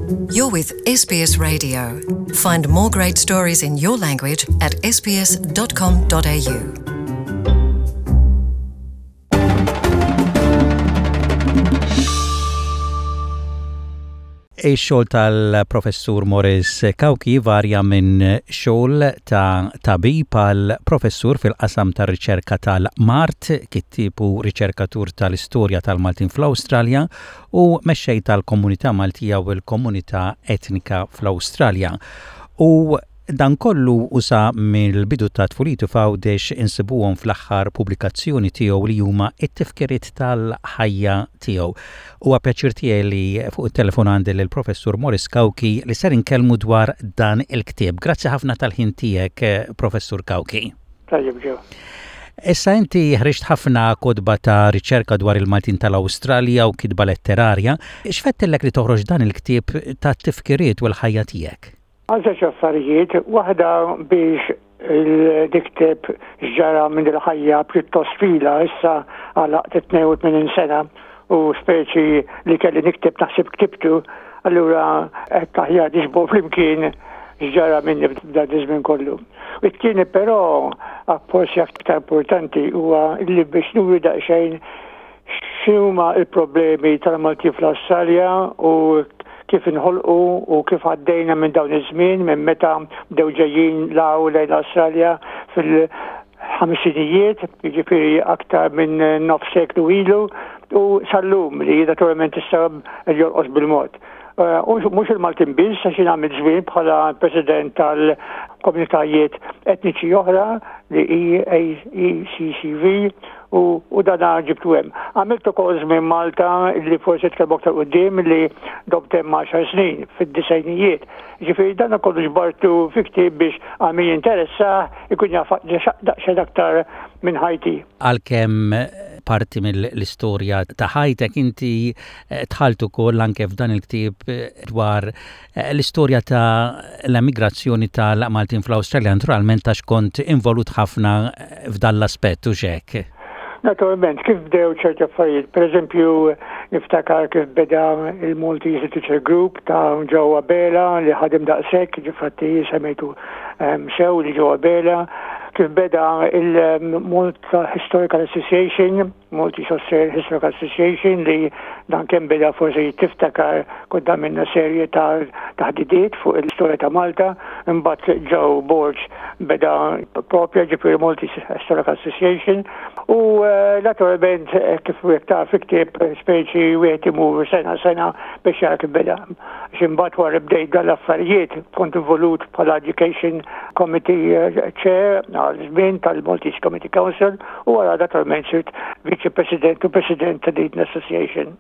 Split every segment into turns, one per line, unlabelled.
You're with SBS Radio. Find more great stories in your language at sbs.com.au.
Ix-xogħol tal-Professur Morris Cauchi jvarja minn xogħol ta' tabib għal professur fil-qasam tar-riċerka tal-mard, kittieb u riċerkatur tal-istorja tal-Maltin fl-Awstralja u mexxej tal-komunità Maltija u l-komunità etnika fl-Awstralja. U Dan kollu u sa mill-bidu ta' tfulitu f'Għawdex insibuhom fl-aħħar pubblikazzjoni tiegħu li huma t-tifkiriet tal-ħajja tiegħu. Huwa pjaċir tiegħi li fuq it-telefon għandi lill-Professur Maurice Cauchi li ser inkellmu dwar dan il-ktieb. Grazzi ħafna tal-ħin tiegħek, Professur Cauchi.
Tajjeb ġew.
Issa inti ħriġt ħafna kotba ta' riċerka dwar il-Maltin tal-Awstralja u kitba letterarja. X'fettillek li toħroġ dan il-ktieb ta' tifkiriet u l-ħajja tiegħek?
Għal żewġ affarijiet, waħda biex nikteb x'ġara minn il-ħajja pjuttost twila issa għalaqt 82 sena u speċi li kelli nikteb naħseb ktibtu, allura qed aħjar niġbor flimkien x'ġara minni f'dan iż-żmien kollu. U t-tieni però forsi aktar importanti huwa li biex nuri daqsxejn X'inhuma l-problemi tal-Maltin fl-Awstralja u kif inħolqu u kif għaddejna minn dawn iż-żmien minn meta bdew ġejjin 'l hawn lejn l-Awstralja fil-ħamsinijiet, jiġifieri aktar minn nofs seklu ilu, u sal-lum li naturalment issa jolqos bil-mod. Eh, u mhux il-Maltin biss, għax jien għamilt żmien bħala president tal-komunitajiet etniċi oħra li EACCV u, u dana ġibtu hemm. Għamilt ukoll żmien Malta li forsi tkellmu aktar quddiem li domt hemm 10 snin fid-disajnijiet. Ġifieri dan kollu ġbartu fi ktieb biex għal min jinteressa ikun jaf daqsxejn aktar minn ħajti.
Għalkemm parti mill-istorja ta' ħajtek inti eh, dħalt ukoll anke f'dan il-ktieb eh, dwar eh, l-istorja ta' l-emigrazzjoni tal-Maltin fl-Awstralja, naturalment għax kont involut ħafna f'dan l-aspett u xek.
Naturalment, kif bdew ċerti affarijiet, per eżempju, niftakar kif beda il-Maltese Literature Group ta' ġewwa Bela li ħadem daqshekk, ġifatti semmejtu ehm, sew li ġewwa Bela, kif beda il-Malta Historical Association Maltese Australian Historical Association li dan kemm beda forsi tiftakar kont għamilna serje ta' taħdidiet fuq l-istorja ta' Malta, imbagħad Joe Borg beda propja ġifieri Maltese Historical Association u eh, naturalment eh, kif wieħed taf ktieb speċi wieħed imur sena sena biex jara kif beda. X'imbagħad wara bdejt dan l-affarijiet kont involut bħala Education Committee eh, Chair għal żmien tal-Maltese Committee Council u wara naturalment sirt Viċi President u President ta' Dayton Association.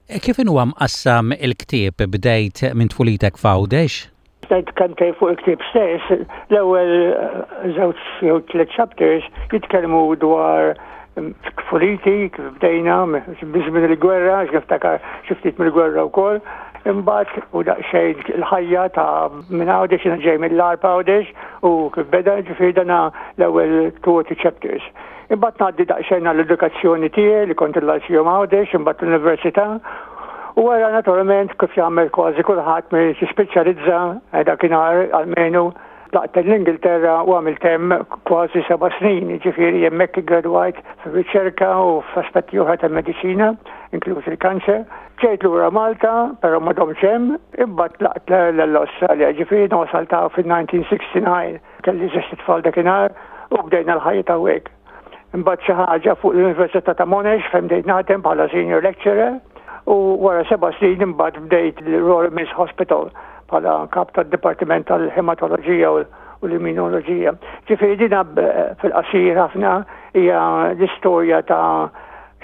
Eh, kif inhuwa mqassam il-ktieb bdejt minn tfulitek f'Għawdex?
Ngħid kantej fuq il-ktieb stess, l-ewwel eh, żewġ jew tliet chapters jitkellmu dwar mm, tfuliti kif bdejna biżmien il-gwerra, għax niftakar xi ftit mill-gwerra wkoll. Imbagħad u daqsxejn il-ħajja ta' minn Għawdex jiena ġej mill-Għarb Għawdex u kif beda ġifieri dana l-ewwel two or three chapters. Imbagħad ngħaddi daqsxejn għall-edukazzjoni tiegħi li kont il-Lyceum Għawdex, imbagħad l-Università. U wara naturalment kif jagħmel kważi kulħadd min jispeċjalizza eh, dakinhar almenu tlaqt l-Ingilterra u għamilt hemm kważi seba' snin, jiġifieri hemmhekk iggradwajt fir-riċerka u f'aspetti oħra tal-mediċina, inkluż il-kanċer. Ġejt lura Malta, però ma domtx hemm, imbagħad tlaqt l-Awstralja, ġifieri wasalt fil-1969. Kelli żewġt itfal dakinhar u bdejna l-ħajja ta' hawnhekk. Imbagħad xi ħaġa fuq l-Università ta' Monash fejn bdejt naħdem bħala senior lecturer u wara seba' snin imbagħad bdejt l-Royal Mills Hospital bħala kap tad-Dipartiment tal-Hematoloġija u l-Immunoloġija. Ġifieri dina fil-qasir ħafna hija l-istorja ta'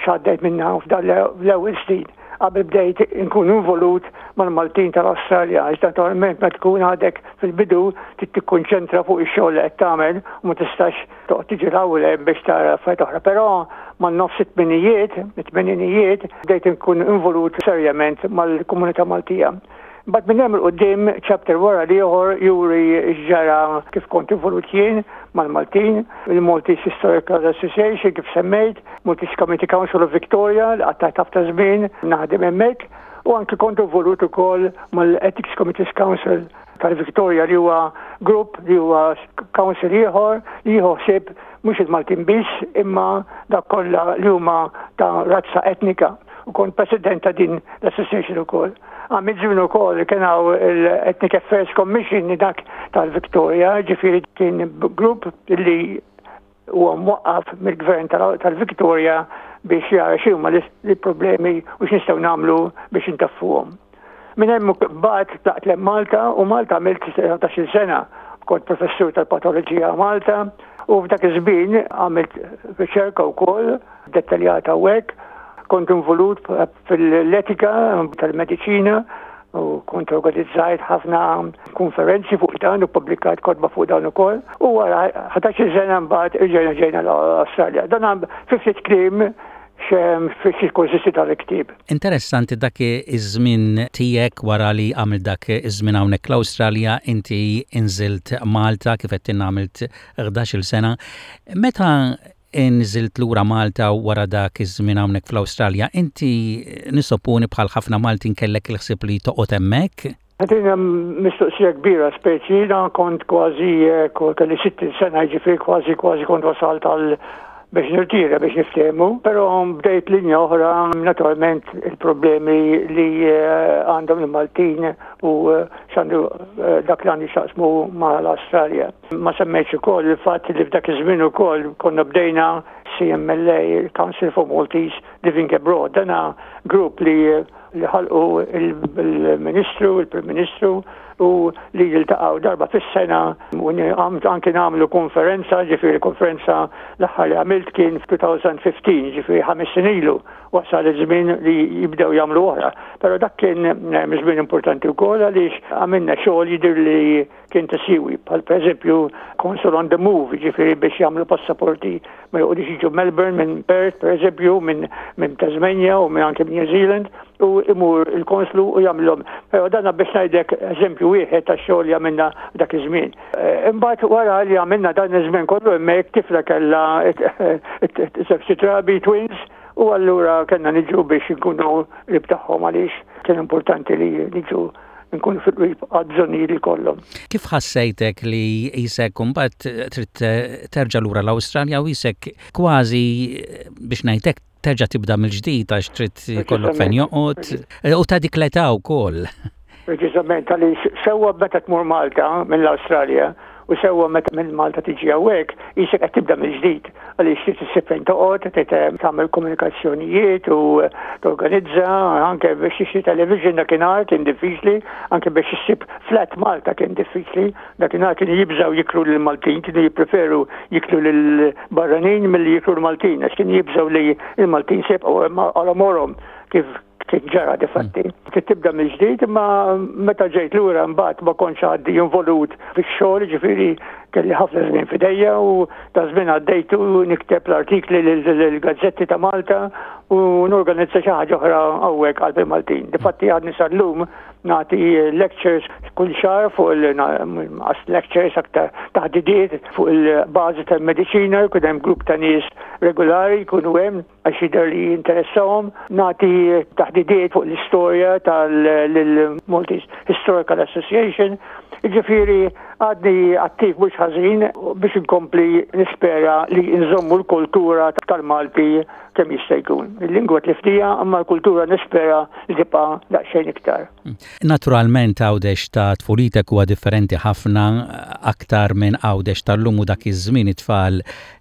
x'għaddejt minnha f'dan l-ewwel snin qabel bdejt inkun involut mal-Maltin tal-Awstralja għax naturalment meta tkun għadek fil-bidu trid tikkonċentra fuq ix-xogħol li qed tagħmel u ma tistax toqgħod tiġi l hemm biex tara affarijiet oħra. Però man-nofs it-tminijiet, it-tmeninijiet, bdejt inkun involut serjament mal-komunità Maltija. Mbagħad minn hemm 'il quddiem chapter wara l-ieħor juri x'ġara kif kont involut jien mal-Maltin, il-Maltese Historical Association kif semmejt, Maltese Community Council of Victoria li qattajt ħafna żmien naħdem hemmhekk. U anki kont involut ukoll mal-Ethics Committees Council tal-Victoria li huwa grupp li huwa council ieħor li jieħu ħsieb mhux il-Maltin biss imma dak kollha li huma ta' razza etnika u kont president ta' din l-association ukoll. Għamilt żmien ukoll kien hawn l-Ethnic Affairs Commission dak tal-Victoria, ġifieri kien grupp li huwa mwaqqaf mill-gvern tal-Victoria biex jara x'huma l-problemi u x'nistgħu nagħmlu biex intaffuhom. Minn hemm bad tlaqt lem Malta u Malta għamilt 13 sena kont professur tal-patoloġija Malta u f'dak iż-żmien għamilt riċerka wkoll dettaljata u hekk kont involut fil-etika tal-mediċina u kont organizzajt ħafna konferenzi fuq dan u publikajt kotba fuq dan ukoll. U wara 11 sena mbagħad irġejna ġejna l-Awstralja. Dan fi ftit kliem fiex jikkonsisti tal-ktieb.
Interessanti dak iż-żmien tiegħek wara li għamil dak iż-żmien hawnhekk l-Awstralja inti inżilt Malta kif qed għamilt 11-il sena. Meta inżilt lura Malta wara dak iż-żmien hawnhekk fl-Awstralja, inti nissopponi bħal ħafna Maltin kellek il-ħsieb li toqgħod hemmhekk?
Din mistoqsija kbira speċi, jiena kont kważi eh, kelli 60 sena jiġifieri kważi kważi kont wasalt għal biex nirtira biex niftehmu, però bdejt linja oħra naturalment il-problemi li eh, għandhom il-Maltin u eh, x'għandu dak li għandu x'jaqsmu mal-Awstralja. Ma semmejtx ukoll il-fatt li f'dak iż-żmien ukoll konna bdejna CMLA, il-Council for Maltese Living Abroad. Dana grupp li li ħalqu il-Ministru, il-Prim Ministru u li jiltaqgħu darba fis-sena u anke nagħmlu konferenza, ġifieri konferenza l-aħħar li għamilt kien f'2015, ġifieri ħames snin ilu wasal iż-żmien li jibdew jagħmlu oħra. Però dak kien eh, żmien importanti wkoll għaliex għamilna xogħol jidher li kien ta' siwi, bħal pereżempju Consul on the Move, ġifieri biex jagħmlu passaporti ma joqgħodux jiġu Melbourne minn Perth, pereżempju, minn min Tasmania u minn anke minn New Zealand, u imur il-konslu u jagħmlhom. Però dan biex ngħidlek eżempju wieħed ta' xogħol li għamilna dak iż-żmien. Eh, imbagħad wara li għamilna dan iż-żmien kollu hemmhekk tifla kellha żewġ trabi twins u allura kellna niġu biex nkunu qrib tagħhom għaliex kien importanti li niġu nkunu fil-qrib għad-bżonnijiet li jkollhom.
Kif ħassejtek li qisek imbagħad trid terġa' lura l-Awstralja u qisek kważi biex ngħid hekk terġa' tibda mill-ġdid għax trid ikollok fejn joqgħod u ta' dik l-età wkoll.
Preċiżament għaliex sewwa meta tmur Malta mill-Awstralja u sewwa meta minn Malta tiġi hawnhekk, qisek qed tibda mill-ġdid għaliex trid issib fejn toqgħod, trid eh, tagħmel komunikazzjonijiet u eh, torganizza anke biex tixtri television dakinhar kien diffiċli, anke biex issib flat Malta kien diffiċli, dakinhar kienu jibżgħu jikru lil Maltin, kienu jippreferu jiklu lil barranin milli jikru l-Maltin, għax kienu jibżgħu li l-Maltin se jibqgħu għal għomorhom kif kif ġara difatti. Mm. Trid tibda mill-ġdid imma meta ġejt lura mbagħad ma kontx għaddi involut fix-xogħol, ġifieri kelli ħafna żmien f'idejja u ta' żmien għaddejtu nikteb l-artikli lill-gazzetti ta' Malta u norganizza xi ħaġa oħra hawnhekk qalb il-Maltin. Difatti għadni sal-lum nagħti lectures kull xahar fuq il-lectures aktar taħdidiet fuq il-bażi tal-mediċina, jkun hemm grupp ta' nies regolari jkunu hemm għax jidher li jinteressahom. Nagħti taħdidiet fuq l-istorja tal-Maltese Historical Association. Jiġifieri għadni attiv mhux ħażin biex inkompli nispera li nżommu l-kultura tal-Malti kemm jista' jkun. Il-lingwa tliftija imma l-kultura nispera li tibqa' daqsxejn iktar.
Naturalment Għawdex ta' tfulitek huwa differenti ħafna aktar minn Għawdex tal-lum u dak iż-żmien it-tfal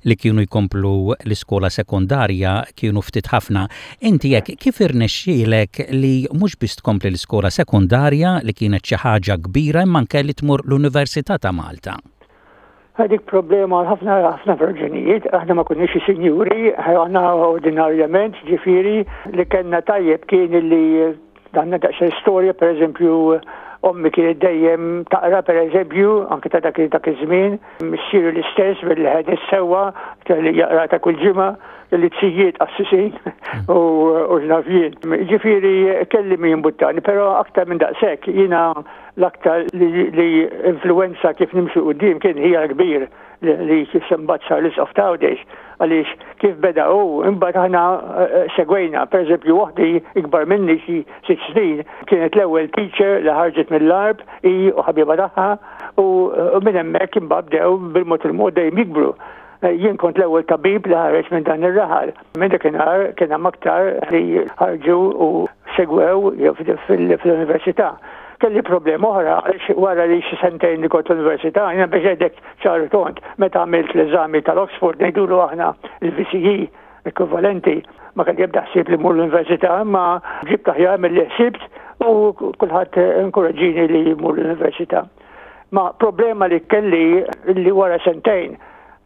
li kienu jkomplu l-iskola sekondarja kienu ftit ħafna. Inti hekk kif irnexxielek li mhux biss tkompli l-iskola sekondarja li kienet xi ħaġa kbira imma anke li tmur l-Università ta' Malta?
Dik problema għal ħafna ħafna raġunijiet, aħna ma konniex sinjuri, aħna ordinarjament, ġifieri li kellna tajjeb kien li għandna daqsxejn storja, pereżempju, ommi kienet dejjem taqra pereżempju, anke ta' dak dak iż-żmien, missieri l-istess bil-ħedis sewwa kelli jaqra ta' kull ġimgħa, kelli tzijiet qassisin u x'naf jien. Ġifieri kelli min jimbuttani, però aktar minn daqshekk jiena L-aktar li influwenza kif nimxu quddiem kien ħija l-kbir li imbagħad sar l-Isqof ta' Għawdex għaliex kif beda hu imbagħad aħna eh, segwejna. Pereżempju waħdi ikbar minni xi sitt snin kienet l-ewwel teacher li ħarġet mill-Għarb hi u ħabiba tagħha u minn hemmhekk imbagħad bdew bil-mod il-mod dejjem jikbru. Eh, jien kont l-ewwel tabib li ħareġ minn dan ir-raħal. Minn dakinhar kien hemm aktar li ħarġu u segwew fil-università. Kelli problema oħra għaliex wara li xi sentejn li kont l-università, jiena biex ngħidlek ċar tont, meta għamilt l-eżami tal-Oxford ngħidulu aħna il-VCE ekwivalenti, ma kelli ebda ħsieb li mmur l-università, imma ġibt aħjar milli ħsibt u kulħadd inkoraġġini li mmur l-università. Ma problema li kelli li wara sentejn,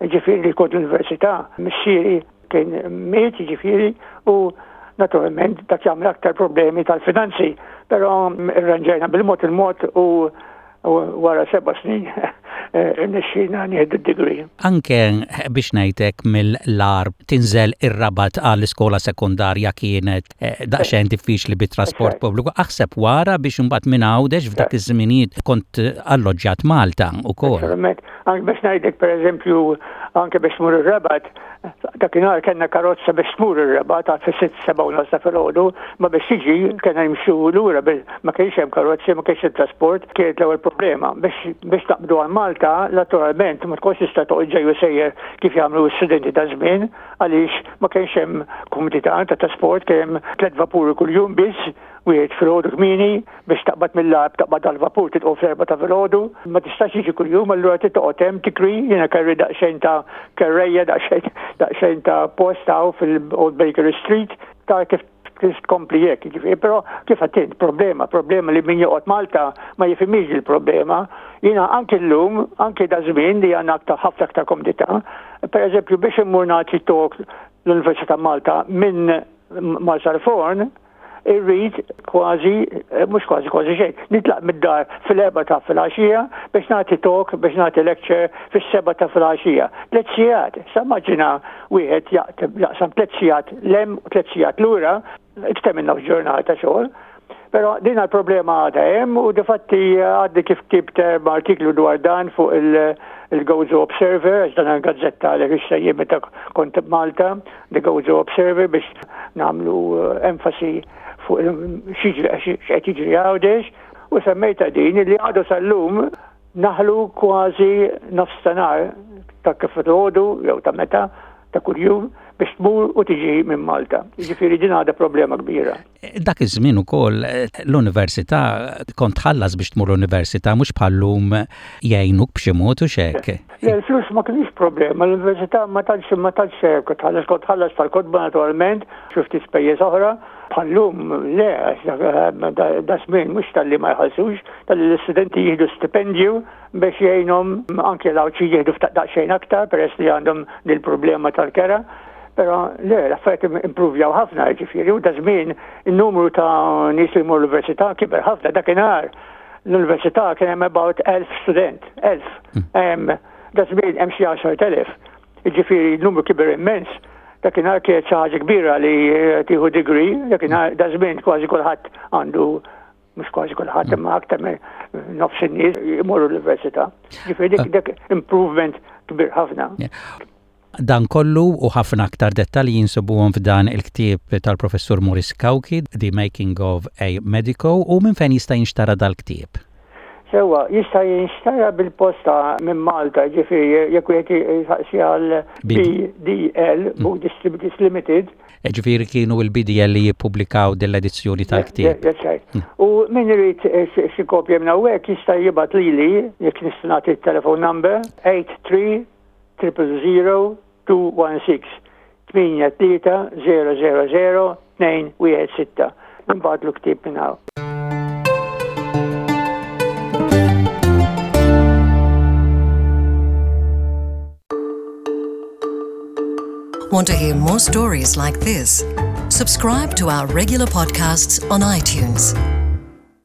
ġifieri li kont l-università, missieri kien miet ġifieri u naturalment dak jagħmel aktar problemi tal-finanzi, però irranġajna bil-mod il-mod u wara seba' snin irnexxielna nieħdu d-degree.
Anke biex ngħidlek mill-Għarb tinżel ir-Rabat għall-iskola sekondarja kienet eh, daqsxejn diffiċli bit-trasport pubbliku. Aħseb wara biex imbagħad minn Għawdex f'dak iż-żminijiet kont alloġġjat Malta wkoll.
Naturalment, anke biex ngħidlek pereżempju anke biex tmur ir-Rabat, dakinhar kellna karozza biex tmur ir-Rabat għal fis-sitt seba' u nofs ta' filgħodu, ma biex tiġi kellna nimxu lura ma kienx hemm karozzi, ma kienx it-trasport, kienet l-ewwel problema. Biex biex taqbdu għal Malta, naturalment ma tkunx tista' toqgħod ġej u sejjer kif jagħmlu s-studenti ta' żmien, għaliex ma kienx hemm kumdità ta' trasport, kien hemm tliet vapuri kuljum biss, wieħed filgħodu kmieni biex taqbad mill-Għarb taqbad għall-vapur trid tqum fl-erbgħa ta' filgħodu, ma tistax jiġi kuljum allura trid toqgħod hemm tikri, jiena kelli daqsxejn ta' kerrejja, daqsxejn daqsxejn ta' post hawn fil-Old Bakery Street, ta' kif kif tkompli hekk, jiġifieri, però kif għedt int, problema, problema li min joqgħod Malta ma jifhimhiex dil-problema. Jiena anki llum, anki da żmien li għandna aktar ħafna aktar komdità, pereżempju biex immur nagħti talk l-Università Malta minn Marsalforn, irrid kważi, eh, mhux kważi kważi xejn, nitlaq mid-dar fil-erba ta' filgħaxija biex nagħti talk, biex nagħti lecture fis-seba ta' filgħaxija. Tliet sigħat, sa maġina wieħed jaqsam tliet sigħat lem u tliet sigħat lura, iktar minn nofs ġurnata xogħol. Però din l-problema għadha hemm u difatti għaddi kif ktibt artiklu dwar dan fuq il-Gozo Observer, għax dan gazzetta li rixta meta kont Malta, The Gozo Observer biex nagħmlu eh, enfasi fuq x'qed jiġri Għawdex u semmejta din li għadu sal-lum naħlu kważi nofs ta' nhar ta' kif filgħodu jew ta' meta ta' kuljum biex tmur u tiġi minn Malta. Jiġifieri din għadha problema kbira.
Dak iż-żmien ukoll l-università kont tħallas biex tmur l-università mhux bħal-lum jgħinuk b'xi mod u x'hekk.
Le, l-flus ma kienx problema, l-università ma tantx ma tantx kont tħallas kont tħallas tal-kotba naturalment, xi ftit spejjeż oħra. Bħal-lum le, għax da żmien mhux talli ma jħallsux, talli l-istudenti jieħdu stipendju biex jgħinhom anke l-Għawdxin jieħdu ftit daqsxejn aktar peress li għandhom dil-problema tal-kera. Però le, l-affarijiet impruvjaw ħafna, ġifieri, u da żmien in-numru ta' nies li jmur l-università kiber ħafna dakinhar l-università kien hemm about 1000 student, 1000. Hmm. Da żmien hemm xi 10,000. Ġifieri n-numru kiber immens. Dakinhar kienet xi ħaġa kbira li tieħu degree, dakinhar da żmien kważi kulħadd għandu mhux kważi kulħadd imma aktar minn nofs in-nies imorru l-università. Ġifieri dik dak improvement kbir ħafna.
Dan kollu u ħafna aktar dettalji jinsibuhom f'dan il-ktieb tal-Professur Maurice Cauchi, The Making of a Medico, u minn fejn jista' jinxtara dal-ktieb?
Sewwa, jista' jinxtara bil-posta minn Malta, ġifieri jekk wieħed jistaqsi għal BDL, Book Distributors Limited,
Ġifieri kienu l-BDL li jippubblikaw din l-edizzjoni tal-ktieb.
That's right. Mm. U min irid eh, xi kopja minn hawnhekk jista' jibgħat lili jekk nista' nagħti t-telephone number 83 000 216 8 3 0 0 0 2 1 6. Nibgħatlu ktieb minn hawn.
Want to hear more stories like this? Subscribe to our regular podcasts on iTunes.